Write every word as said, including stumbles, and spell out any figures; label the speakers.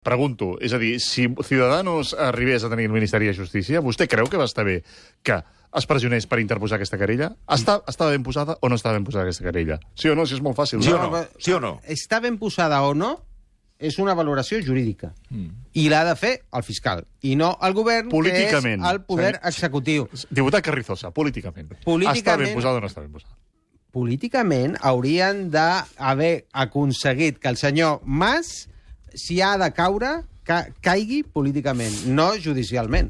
Speaker 1: Pregunto, és a dir, si Ciudadanos arribés a tenir el Ministeri de Justícia, vostè creu que va estar bé que es pressionés per interposar aquesta querella? Està, estava ben posada o no estava ben posada aquesta querella? Sí o no? Si és molt fàcil.
Speaker 2: Sí
Speaker 1: no?
Speaker 2: o no? Sí o no?
Speaker 3: Està ben posada o no és una valoració jurídica. Mm. I l'ha de fer el fiscal. I no el govern, que és el poder executiu.
Speaker 1: Diputat Carrizosa, políticament.
Speaker 3: políticament
Speaker 1: està ben posada o no està ben posada?
Speaker 3: Políticament haurien d'haver aconseguit que el senyor Mas, si ha de caure, ca caigui políticament, no judicialment.